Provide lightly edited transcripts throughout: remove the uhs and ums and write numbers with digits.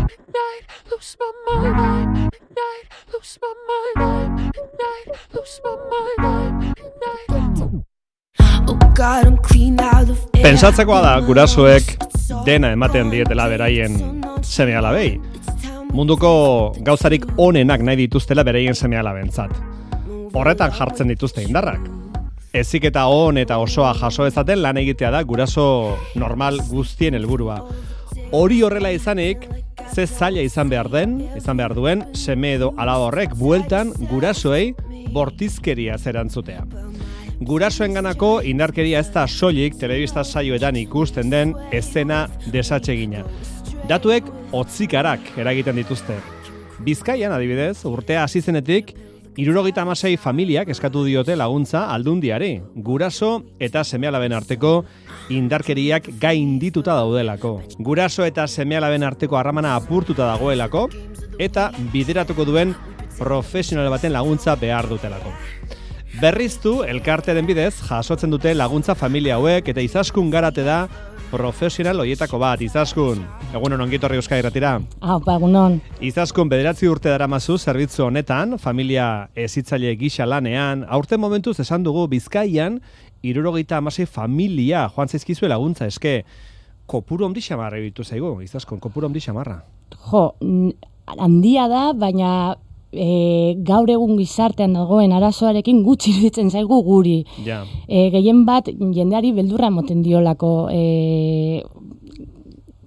midnight, lose my mind, midnight, lose my mind, midnight, lose my mind, midnight. Oh God, I'm clean out of air. Pentsatzekoa da gurasoek dena ematen dietela beraien seme-alabei. Munduko gauzarik onenak nahi dituztela beraien seme-alabentzat. Horretan jartzen dituzte indarrak. Heziketa on eta osoa jaso ezaten lan egitea da guraso normal guztien helburua. Hori horrela izanik, ze zaila izan behar duen seme edo alaba horrek bueltan gurasoei bortizkeria zerantzutea. Gurasoenganako indarkeria ez da soilik telebista saioetan ikusten den eszena desatsegina. Datuek hotzikarak eragiten dituzte. Bizkaian adibidez, urtea hasi zenetik 76 familiak eskatu diote laguntza Aldundiari, guraso eta seme-alaben arteko indarkeriak gaindituta daudelako. Guraso eta seme-alaben arteko harramana apurtuta dagoelako eta bideratuko duen profesional baten laguntza behar dutelako. Berriztu elkartearen bidez jasotzen dute laguntza familia hauek eta Izaskun Garate da profesional hoietako bat. Izaskun, egunon ongi etorri Euskadi Irratira. Egunon. Izaskun, 9 urte daramazu zerbitzu honetan, familia hezitzaile gisa lanean. Aurten momentuz esan dugu Bizkaian 76 familia joan zaizkizue laguntza eske. Kopuru handi xamarra ebitu zaigu, Izaskun, kopuru handi xamarra. Jo, handia da, baina gaur egun gizartean dagoen arazoarekin gutxi iruditzen zaigu guri. Ja. Gehien bat jendeari beldurra emoten diolako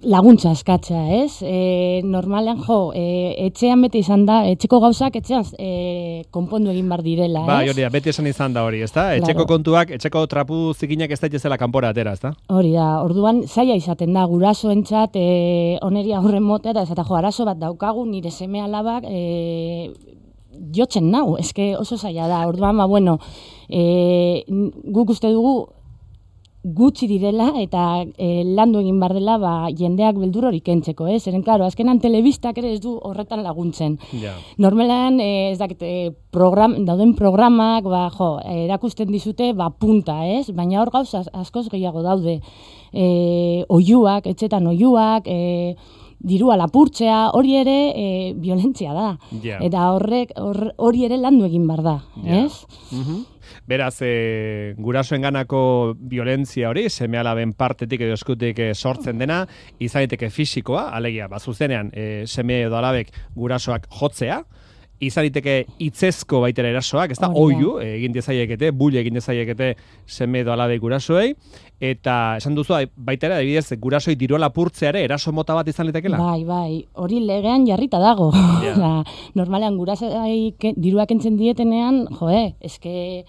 laguntza eskatzea, ez? Normalean etxean beti izan da, etxeko gauzak etxean konpondu egin bar direla, ez? Hori da, beti esan izan da hori, ezta? Etxeko kontuak, etxeko trapu zikinak ez daitezela kanpora atera, ezta? Hori da, orduan zaila izaten da, gurasoentzat oneri aurren motera, ez eta arazo bat daukagu, nire seme-alabak jotzen nau, eske oso zaila da, orduan, guk uste dugu gutxi direla eta landu egin bar dela jendeak beldur hori kentzeko, ez? Zeren, klaro, azkenan telebistak ere ez du horretan laguntzen. Ja. Normalan, ez dakit, dauden programak, erakusten dizute, punta, ez? Baina hor gauza askoz gehiago daude. Oiuak, etxetan oiuak, dirua lapurtzea, hori ere violentzia da. Yeah. Eta hori ere landu egin bar da, ez? Mm-hmm. Beraz, gurasoenganako violentzia hori, seme-alaben partetik edo eskutik sortzen dena, izan daiteke fisikoa, alegia, zuzenean seme edo alabek gurasoak jotzea, izan daiteke hitzezko baitera erasoak, ez da, oiu egin dezaiekete, bull egin dezaiekete seme edo alabek gurasoei, eta esan duzu, baitera, adibidez, gurasoi dirua lapurtzeare eraso mota bat izan litekela? Bai, hori legean jarrita dago. Yeah. Normalean gurasoi dirua kentzen dietenean, eske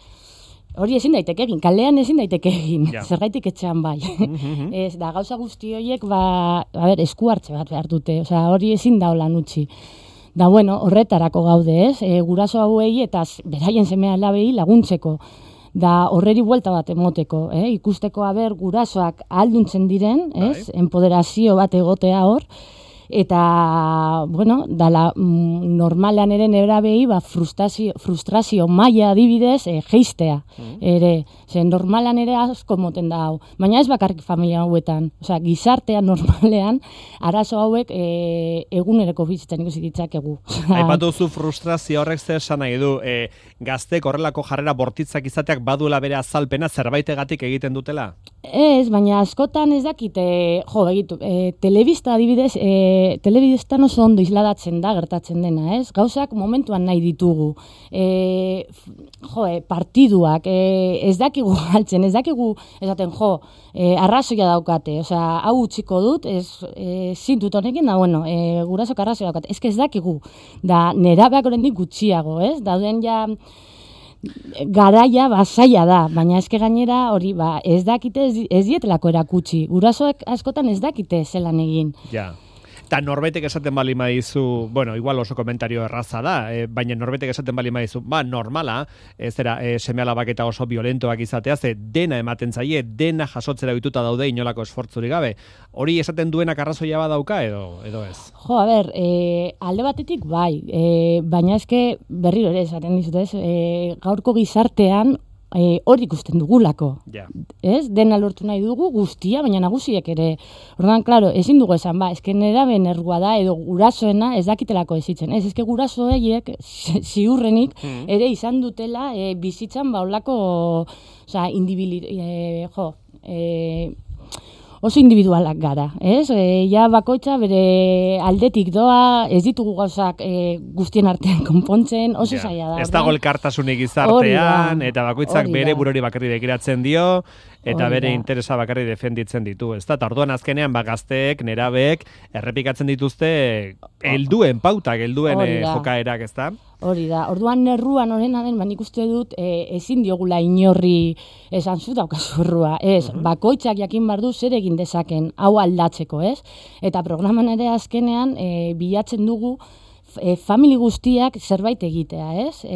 hori ezin daiteke egin, kalean ezin daiteke egin, zergaitik etxean bai. Ez da, gauza guzti horiek, esku hartze bat behar dute, hori ezin da holan utzi. Da, horretarako gaude, ez? Guraso hauei eta beraien seme-alabei laguntzeko. Da, horreri buelta bat emoteko, ikusteko gurasoak ahalduntzen diren, ez? Enpoderazio bat egotea hor. Eta, dala, normalean ere nerabei, frustrazio maila adibidez, geistea, ere. Normalan ere asko moten da hau. Baina ez bakarrik familia hauetan. Gizartean normalean, arazo hauek egunereko bizitzen ikusi ditzakegu. Aipatu zu frustrazio horrek zer esan nahi du, gaztek horrelako jarrera bortitzak izateak baduela bere azalpena zerbaitegatik egiten dutela? Ez, baina askotan ez dakite, telebista adibidez, telebistan oso ondo isladatzen da, gertatzen dena, ez? Gauzak momentuan nahi ditugu. Partiduak, ez dakigu galtzen, ez dakigu, esaten, arrazoia daukate, hau utziko dut, zintut honekin, gurasok arrazoia daukate, ez dakigu, da nerabeak oraindik gutxiago, ez? Dauden ja garaia zaila da, baina eske gainera hori ez dakite, ez dietelako erakutsi. Gurasoek askotan ez dakite zelan egin. Ja. Eta norbaitek esaten bali maizu, igual oso komentario erraza da, baina norbaitek esaten bali maizu, normala, seme-alabak eta oso violentoak izatea, ze dena ematen zaie, dena jasotzera bituta daude inolako esfortzurik gabe. Hori esaten duenak arrazoia badauka edo ez? Alde batetik bai, baina eske berriro ere esaten dizut, gaurko gizartean hori ikusten dugulako. Ez? Dena lortu nahi dugu guztia, baina nagusiek ere. Orduan, klaro, ezin dugu esan, eske neraben errua da, edo gurasoena ez dakitelako ezitzen. Ez, eske gurasoeiek ziurrenik ere izan dutela bizitzan olako, oso individualak gara, ez? Ja bakoitza bere aldetik doa, ez ditugu gauzak guztien artean konpontzen, oso zaila da. Ez dago elkartasunik gizartean, eta bakoitzak bere burori bakarri begiratzen dio, eta bere interesa bakarri defenditzen ditu, ez da? Orduan azkenean gazteek, nerabeek, errepikatzen dituzte helduen pautak, helduen jokaerak, ez da? Hori da, orduan erruan horrena den, nik uste dut ezin diogula inorri esan zu daukazu errua, ez, bakoitzak jakin bardu zer egin dezaken, hau aldatzeko, ez? Eta programan ere azkenean bilatzen dugu famili guztiak zerbait egitea, ez?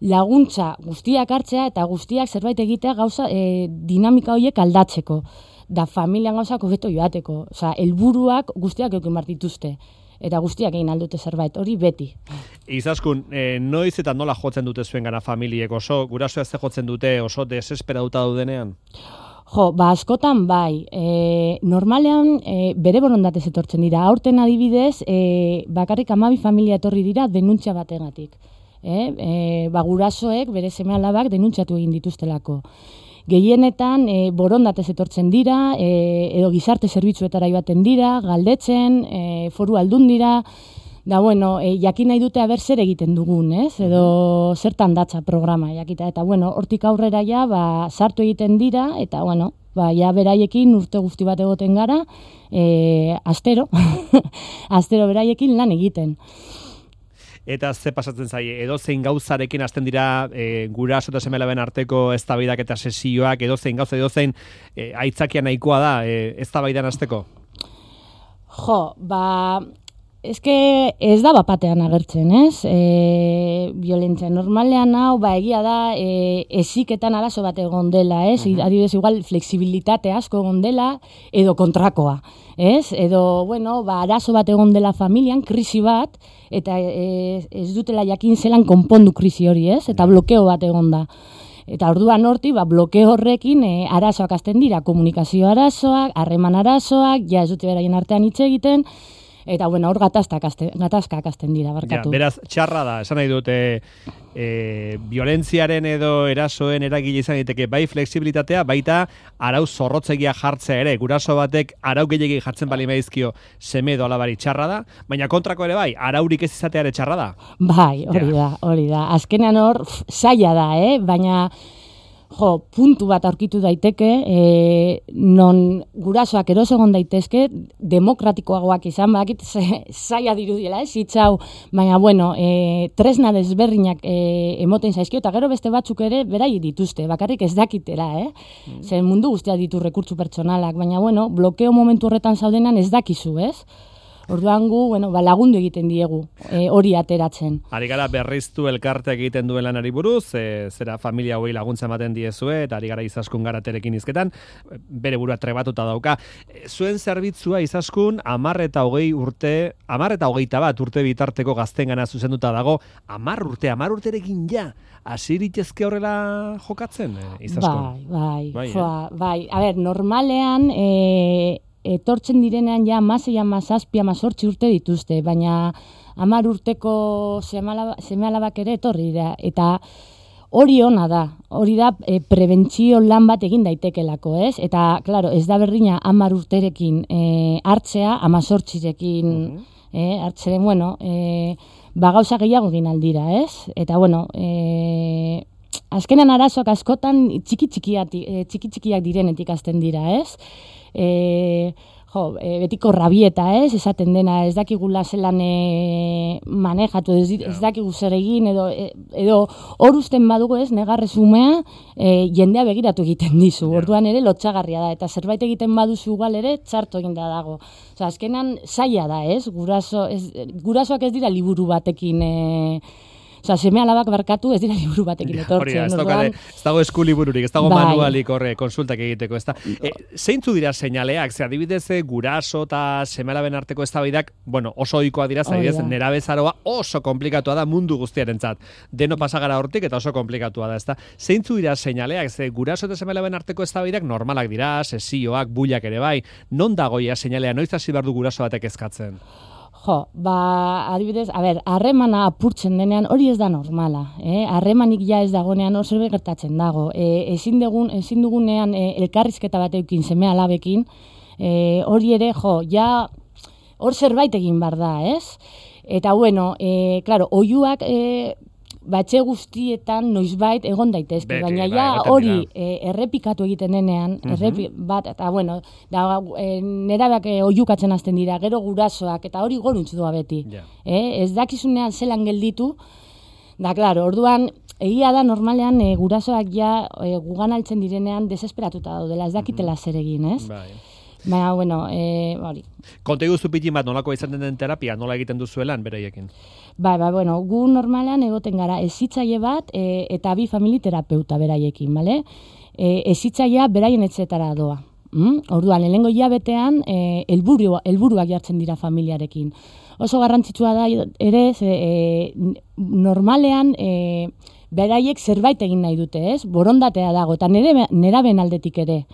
Laguntza guztiak hartzea eta guztiak zerbait egitea gauza dinamika horiek aldatzeko, da familian gauzak hobeto joateko, helburuak guztiak eukin bar dituzte. Eta guztiak egin aldute zerbait, hori beti. Izaskun, noiz eta nola jotzen dute zuen gana familiek oso, gurasoa ez jotzen dute oso desesperatuta daudenean? Askotan bai. Normalean bere borondatez etortzen dira. Aurten adibidez, bakarrik 12 familia etorri dira denuntzia bategatik. Gurasoek bere seme-alabak denuntziatu egin dituztelako. Gehienetan borondatez etortzen dira, edo gizarte zerbitzuetara joaten dira, galdetzen, foru aldun dira, da jakin nahi dute aber zer egiten dugun, ez? Edo zertan datza programa jakita, eta hortik aurrera sartu egiten dira, eta beraiekin urte guzti bat egoten gara, astero, astero beraiekin lan egiten. Eta ze pasatzen zaie, edozein gauzarekin hasten dira guraso eta seme-alaben arteko eztabaidak eta sesioak, edozein gauza, edozein aitzakia nahikoa da eztabaidan hasteko? Eske ez da bapatean agertzen, ez? Violentzia normalean hau, egia da, eziketan arazo bat egon dela, ez? Adibidez, igual, flexibilitate asko egon dela, edo kontrakoa, ez? Edo, arazo bat egon dela familian, krisi bat, eta ez dutela jakin zelan konpondu krisi hori, ez? Eta blokeo bat egon da. Eta orduan horti, blokeo horrekin arazoak hasten dira, komunikazio arazoak, harreman arazoak, ez dute beraien artean hitz egiten, eta hor gatazkak hasten dira, barkatu. Beraz, txarra da, esan nahi dute, violentziaren edo erasoen eragile izan diteke, bai flexibilitatea, baita arau zorrotzegia jartzea ere, guraso batek arau gehiagik jartzen bali maizkio seme edo alabari txarra da, baina kontrako ere bai, araurik ez izatea ere txarra da. Bai, hori da. Azkenean hor, zaila da, baina puntu bat aurkitu daiteke, non gurasoak eroso egon daitezke, demokratikoagoak izan, zaila dirudiela, hitzau, baina, tresna desberdinak emoten zaizkio, eta gero beste batzuk ere berai dituzte, bakarrik ez dakitela, zer mundu guztia ditu rekurtsu pertsonalak, baina, blokeo momentu horretan zaudenan ez dakizu, ez? Orduan gu, lagundu egiten diegu, hori ateratzen. Ari gara berriztu elkarteak egiten duen lanari buruz, zera familia hauei laguntza ematen diezue, eta ari gara Izaskun Garaterekin hizketan, bere burua trebatuta dauka. Zuen zerbitzua Izaskun 10 eta 20 urte, 10 eta 21 urte bitarteko gaztengana zuzenduta dago, 10 urterekin hasiritezke horrela jokatzen, Izaskun? Bai. A ber, normalean, etortzen direnean amasei, amazazpi, amazortzi urte dituzte, baina 10 urteko seme-alabak ere etorri dira, eta hori ona da, prebentzio lan bat egin daitekelako, ez? Eta, klaro, ez da berdina 10 urterekin hartzea, 18rekin hartzeren, gauza gehiago egin aldira, ez? Eta, azkenan arazoak askotan txiki-txikiak direnetik hasten dira, ez? Betiko rabieta, esaten dena, ez dakigula zelan manejatu, ez dakigu zer egin, edo hor usten badugu, negarrez umea, jendea begiratu egiten dizu, orduan ere lotxagarria da, eta zerbait egiten baduzu igual ere, txarto egin da dago. Azkenan zaila da, gurasoak ez dira liburu batekin Osa, seme alabak barkatu ez dira liburu batekin etortzen. Ez dago eskulibururik, ez dago manualik horre konsultak egiteko, ez da. Zeintzu dira seinaleak, ze adibidez guraso eta seme alaben arteko eztabaidak, bueno, oso ohikoa dira, adibidez, nerabezaroa oso komplikatua da mundu guztiarentzat. Deno pasagara hortik eta oso komplikatua da, ez da. Zeintzu dira seinaleak, ze guraso eta seme alaben arteko eztabaidak normalak dira, sesioak, builak ere bai. Non dagoia seinalea, noiz hasi behar du guraso batek eskatzen? Jo, adibidez, harremana apurtzen denean hori ez da normala. Harremanik ja ez dagonean hor zerbait gertatzen dago. Ezin dugunean elkarrizketa bat eukin seme alabekin, hori ere, ja hor zerbait egin behar da, ez? Eta bueno, claro, oihuak batxe guztietan noizbait egon daitezke, baina ja hori errepikatu egiten denean, eta bueno, nerabeak oihukatzen hasten dira, gero gurasoak, eta hori goruntz doa beti. Ez dakizunean zelan gelditu, da, claro, orduan, egia da normalean gurasoak ja gugan altzen direnean desesperatuta daudela, ez dakitela zer egin, ez? Baina, bueno, hori. Konta iguzu pitin bat nolako izaten den terapia, nola egiten duzuelan beraiekin? Bueno, gu normalean egoten gara ezitzaile bat eta bi familiterapeuta beraiekin, bale? Ezitzailea beraien etxetara doa. Orduan, lehenengo hilabetean helburuak jartzen dira familiarekin. Oso garrantzitsua da ere, normalean beraiek zerbait egin nahi dute, ez? Borondatea dago, eta neraben aldetik ere.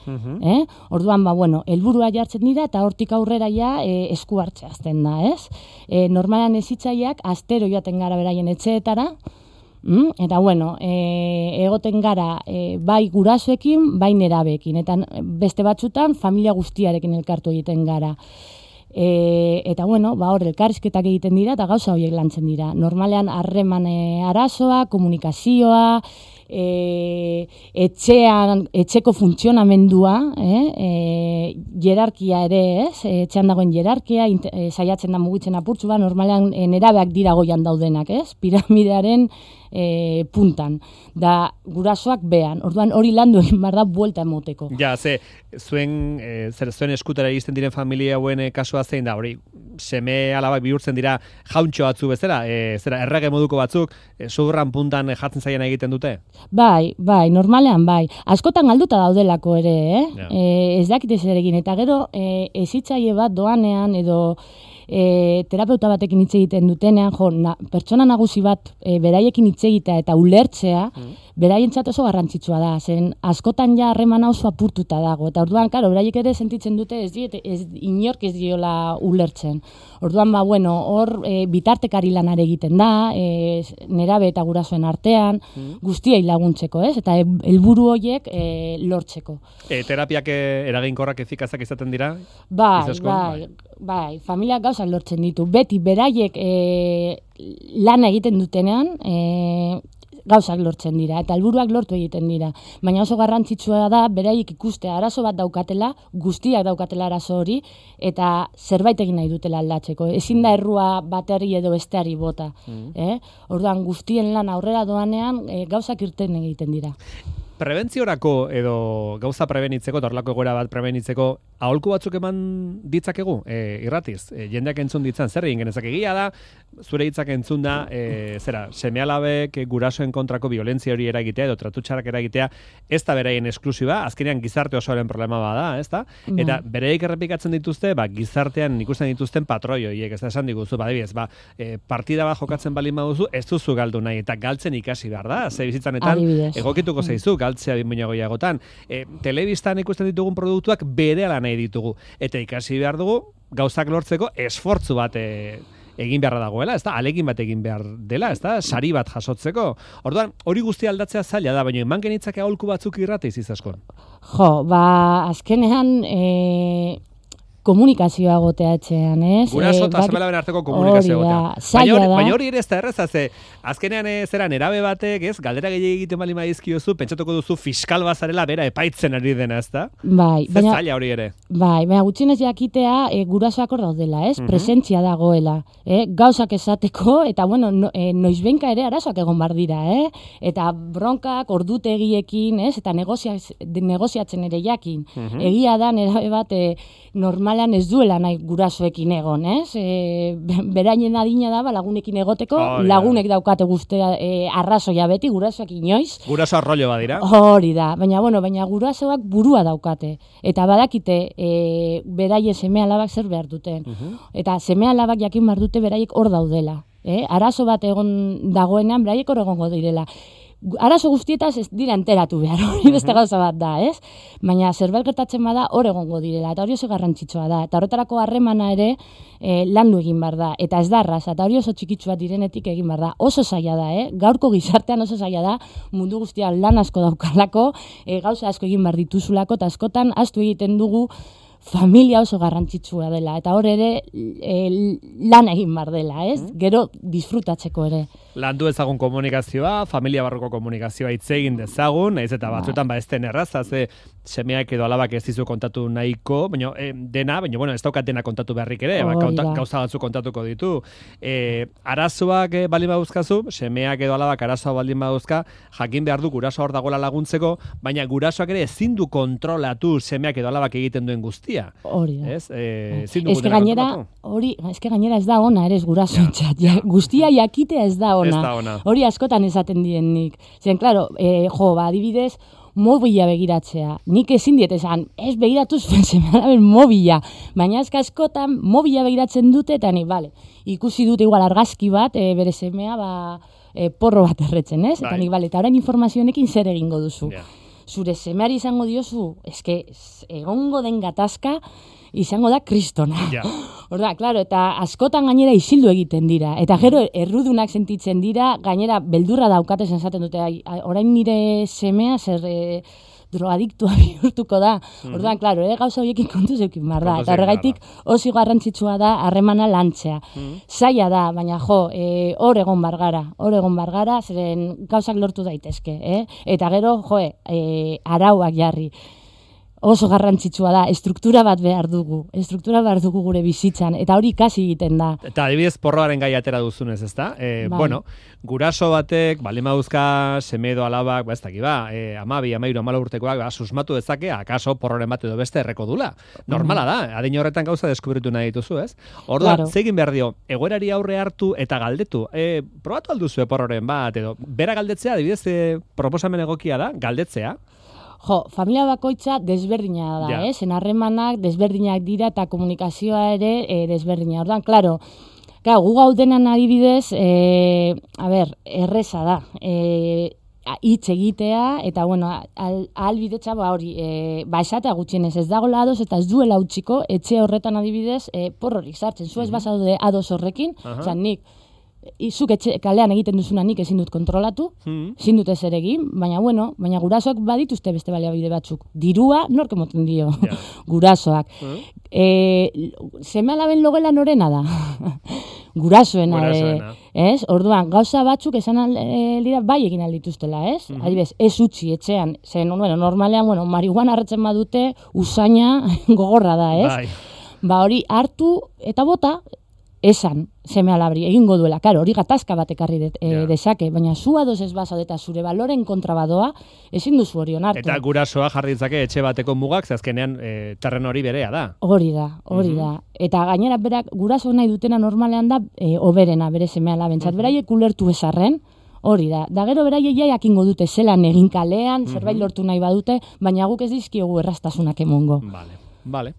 Orduan, bueno, helburua jartzen dira, eta hortik aurrera ja esku hartzea azten da, ez? Normalean ezitzaileak astero joaten gara beraien etxeetara, eta bueno, egoten gara bai gurasoekin, bai nerabeekin, eta beste batzutan familia guztiarekin elkartu egiten gara. Eta bueno, hor elkarrizketak egiten dira eta gauza horiek lantzen dira. Normalean harreman arazoa, komunikazioa, etxeko funtzionamendua, jerarkia ere, ez? Etxean dagoen jerarkia, saiatzen da mugitzen apurtzu ba, normalean nerabeak dira goian daudenak, ez? Piramidearen puntan, da gurasoak behan. Orduan hori landu egin behar da buelta emoteko. Ja, zuen eskutera egiten diren familia hauen kasua zein da, hori, seme alabak bihurtzen dira jauntxo batzu bezala, errege moduko batzuk, sudurran puntan jartzen zaian egiten dute? Bai, normalean bai. Askotan galduta daudelako ere, ez dakite zer egin, eta gero ezitzaile bat doanean edo terapeuta batekin hitz egiten dutenean, pertsona nagusi bat beraiekin hitz egitea eta ulertzea, beraientzat oso garrantzitsua da, zen askotan ja harremana oso apurtuta dago, eta orduan, karo, beraiek ere sentitzen dute inork ez diola ulertzen. Orduan, bueno, hor bitartekari lanare egiten da, nerabe eta gurasoen artean, guztiei laguntzeko, ez? Eta helburu horiek lortzeko. Terapiak eraginkorrak efikazak izaten dira? Bai, familiak gauzak lortzen ditu. Beti beraiek lana egiten dutenean, gauzak lortzen dira, eta helburuak lortu egiten dira. Baina oso garrantzitsua da, beraiek ikustea arazo bat daukatela, guztiak daukatela arazo hori, eta zerbait egin nahi dutela aldatzeko. Ezin da errua baterri edo besteari bota. Orduan guztien lan aurrera doanean, gauzak irten egiten dira. Prebentziorako edo gauza prebenitzeko, torlako egoera bat prebenitzeko, aholku batzuk eman ditzakegu, irratiz, jendeak entzun ditzan, zer egin genezak egia da, zure hitzak entzun da, seme-alabek gurasoen kontrako violentzia hori eragitea edo tratutxarak eragitea, ez da beraien esklusiba, azkenean gizarte osoaren problema bada, ez da? Eta bereik errepikatzen dituzte, gizartean ikusten dituzten patroi horiek, ez da esan diguzu, badibidez, partida bat jokatzen balin baduzu, ez duzu galdu nahi, eta galtzen ikasi behar da, ze bizitzanetan egokituko zaizu, galtzea binboina goiagotan. Telebistan ikusten ditugun produktuak berehala nahi ditugu, eta ikasi behar dugu, gauzak lortzeko esfortzu bat egin beharra dagoela, ez da, alegin bat egin behar dela, ez da, sari bat jasotzeko. Orduan, hori guztia aldatzea zaila da, baina eman genitzake aholku batzuk irrateiz izaskon. Azkenean komunikazioa gotea etxean, ez? Guraso eta seme-alaben arteko komunikazioa gotea. Baina hori ere ez da erreza, azkenean zera nerabe batek, ez? Galdera gehiagik egiten bali maizkiozu, pentsatuko duzu fiskal bazarela bera epaitzen ari dena, ez da? Zer zaila hori ere. Baina gutxienez jakitea gurasoak hor daudela, ez? Presentzia dagoela, gauzak esateko, eta bueno, noizbenka ere arazoak egon bar dira, eta bronkak ordutegiekin, ez? Eta negoziatzen ere jakin. Egia da nerabe bat normal normalean ez duela nahi gurasoekin egon, ez? Berainen adina da, lagunekin egoteko, lagunek daukate guztia arrazoia beti, gurasoak inoiz. Guraso arrollo badira. Hori da, baina gurasoak burua daukate. Eta badakite beraie seme-alabak zer behar duten. Eta seme-alabak jakin behar dute beraiek hor daudela. Arazo bat egon dagoenean beraiek hor egongo direla. Arazo guztietaz ez dira enteratu behar, hori beste gauza bat da, ez? Baina zerbait gertatzen bada hor egongo direla, eta hori oso garrantzitsua da. Eta horretarako harremana ere landu egin behar da, eta ez da arraza, eta hori oso txikitsua direnetik egin behar da. Oso zaila da, gaurko gizartean oso zaila da, mundu guztian lan asko daukalako, gauza asko egin behar dituzulako, eta askotan ahaztu egiten dugu familia oso garrantzitsua dela, eta hor ere lan egin behar dela, ez? Gero disfrutatzeko ere. Landu ezagun komunikazioa, familia barruko komunikazioa hitz egin dezagun, naiz eta batzuetan ez den erraza, ze semeak edo alabak ez dizu kontatu nahiko, baina bueno, ez daukat dena kontatu beharrik ere, gauza batzu kontatuko ditu. Arazoak baldin baduzkazu, semeak edo alabak arazoa baldin baduzka, jakin behar du guraso hor dagoela laguntzeko, baina gurasoak ere ezin du kontrolatu semeak edo alabak egiten duen guztia. Hori da. Ez gainera ez da ona, ere ez gurasoentzat. Guztia jakitea ez da ona. Hori askotan esaten dienik. Zen, klaro, adibidez, mobila begiratzea. Nik ezin diet esan, ez begiratuz seme-alaben mobila. Baina askotan mobila begiratzen dute, eta ikusi dute igual argazki bat, bere semea, porro bat erretzen, ez? Eta eta orain informazionekin zer egingo duzu. Zure semeari izango diozu, egongo den gatazka, izango da kristona. Horda, klaro, eta askotan gainera isildu egiten dira. Eta gero errudunak sentitzen dira, gainera beldurra daukate esaten dute, orain nire semea zer drogadiktua bihurtuko da. Orduan, klaro, gauza horiekin kontuz eukin behar da. Eta horregaitik oso garrantzitsua da harremana lantzea. Zaila da, baina hor egon bargara, zeren gauzak lortu daitezke. Eta gero, arauak jarri. Oso garrantzitsua da, estruktura bat behar dugu gure bizitzan, eta hori ikasi egiten da. Eta adibidez porroaren gai atera duzunez, ezta? Bueno, guraso batek, baldin baduzka, seme edo alabak, 12, 13, 14 urtekoak, susmatu dezake, akaso porroren bat edo beste erreko dula. Normala da, adin horretan gauza deskubritu nahi dituzu, ez? Orduan, zegin behar dio, egoerari aurre hartu eta galdetu. Probatu alduzu porroren bat, edo bera galdetzea, adibidez, proposamen egokia da, galdetzea. Familia bakoitza desberdina da, zen harremanak desberdinak dira eta komunikazioa ere desberdina. Orduan, klaro, gu gaudenan adibidez, erreza da, hitz egitea, eta, ahalbidetza, esatea gutxienez ez dagoela ados, eta ez duela utziko, etxe horretan adibidez, porrorik sartzen. Zu ez bazaude ados horrekin, zan nik, izuk kalean egiten duzuna nik ezin dut kontrolatu, ezin dut ezer egin, baina gurasoak badituzte beste baliabide batzuk. Dirua nork emoten dio, gurasoak. Seme-alaben logela norena da? Gurasoena. Ez? Orduan, gauza batzuk esan aldira bai egin aldituztela, ez? Adibidez, ez utzi etxean, zen, normalean, marihuana harretzen badute, usaina gogorra da, ez? Hori hartu eta bota, esan seme-alabri egingo duela. Karo, hori gatazka bat ekarri dezake, baina zu ados ez bazaude eta zure baloren kontrabadoa, ezin duzu hori onartu. Eta gurasoa jarri ditzake etxe bateko mugak, azkenean terreno hori berea da. Hori da. Eta gainera berak guraso nahi dutena normalean da oberena bere seme-alabentzat. Beraiek ulertu ezarren, hori da. Da gero beraiek jakingo dute zelan egin kalean, zerbait lortu nahi badute, baina guk ez dizkiogu errastasunak emongo. Vale.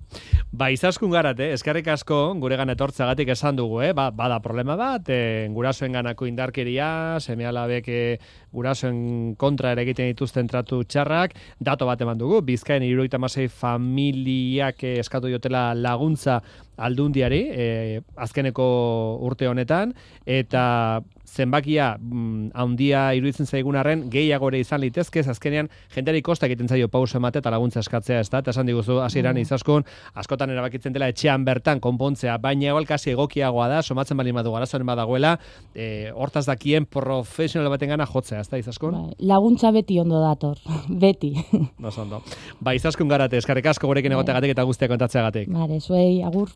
Izaskun garat, eskerrik asko guregan etortzagatik esan dugu, bada problema bat, gurasoen ganako indarkeria, seme-alabek gurasoen kontra ere egiten dituzten tratu txarrak, dato bat eman dugu, Bizkaien 76 familiak eskatu diotela laguntza Aldundiari, azkeneko urte honetan, eta zenbakia handia iruditzen zaigun arren gehiago ere izan litezke, azkenean jendeari kosta egiten zaio pauso emate eta laguntza eskatzea, ez da? Eta esan diguzu hasieran Izaskun, askotan erabakitzen dela etxean bertan konpontzea, baina igual kasi egokiagoa da, somatzen bali badu arazoren badagoela, hortaz dakien profesional batengana jotzea, ez da Izaskun? Laguntza beti ondo dator, beti. Ondo. Izaskun garate, eskerrik asko gurekin egoteagatik eta guztiak kontatzeagatik. Zuei, agur.